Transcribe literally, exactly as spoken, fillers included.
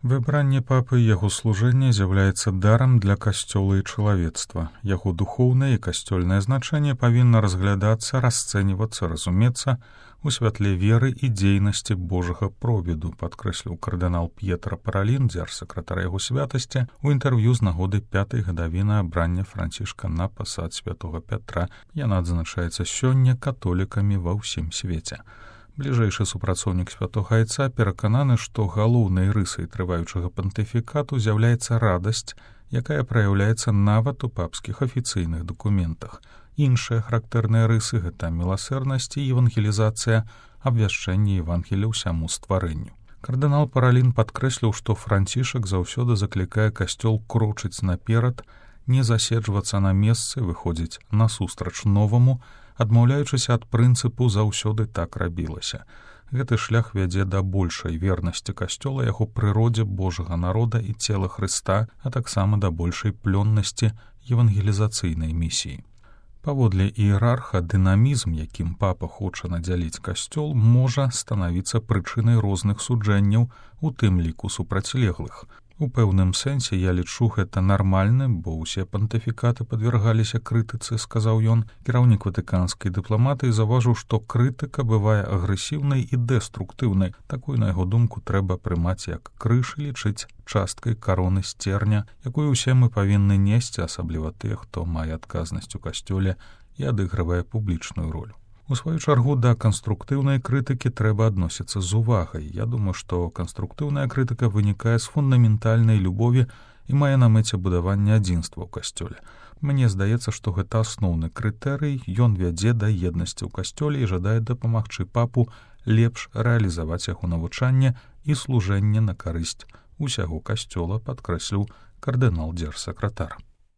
Выбранне папы і яго служэнне з'яўляецца дарам для касцёла і чалавецтва. Яго духоўнае і касцёльнае значэнне павінна разглядацца, расцэньвацца, разумецца у святле веры і дзейнасці Божага провіду, падкрэсліў кардынал П'етра Паралін, дзяржсакратар яго святасці, у інтэрв'ю з нагоды пятай гадавіны абрання Францішка на пасад святога Пятра. Яна адзначаецца сёння католікамі ва ўсім свеце. Бліжэйшы супрацоўнік святога айца перакананы, што галоўнай рысай трываючага пантыфікату з'яўляецца радасць, якая праяўляецца нават у папскіх афіцыйных дакументах. Іншыя характэрныя рысы — гэта міласэрнасць і евангелізацыя, абвяшчэнне Евангелія ўсяму стварэнню. Кардынал Паралін падкрэсліў, што Францішак заўсёды заклікае касцёл крочыць наперад, не заседжвацца на месцы, выходзіць насустрач новаму, адмаўляючыся ад прынцыпу «заўсёды так рабілася». Гэты шлях вядзе да большай вернасці касцёла, яго прыродзе Божага народа і цела Хрыста, а таксама да большай плённасці евангелізацыйнай місіі. Паводле іерарха, дынамізм, якім папа хоча надзяліць касцёл, можа станавіцца прычынай розных суджэнняў, у тым ліку супрацьлеглых. У пэўным сэнсе я лічу гэта нармальным, бо ўсе пантыфікаты падвяргаліся крытыцы, сказаў ён. Кіраўнік ватыканскай дыпламатыі заўважыў, што крытыка бывае агрэсіўнай і дэструктыўнай. Такую, на яго думку, трэба прымаць як крыж і лічыць часткай кароны сцерня, якую ўсе мы павінны несці, асабліва тыя, хто мае адказнасць у касцёле і адыгрывае публічную ролю. У сваю чаргу, да канструктыўнай крытыкі трэба адносіцца з увагай. Я думаю, што канструктыўная крытыка вынікае з фундаментальнай любові і мае на мэце будаванне адзінства ў касцёле. Мне здаецца, што гэта асноўны крытэрый, ён вядзе да еднасці ў касцёле і жадае дапамагчы папу лепш рэалізаваць яго навучанне і служэнне на карысць усяго касцёла, падкрэсліў кардынал дзяржсакратар.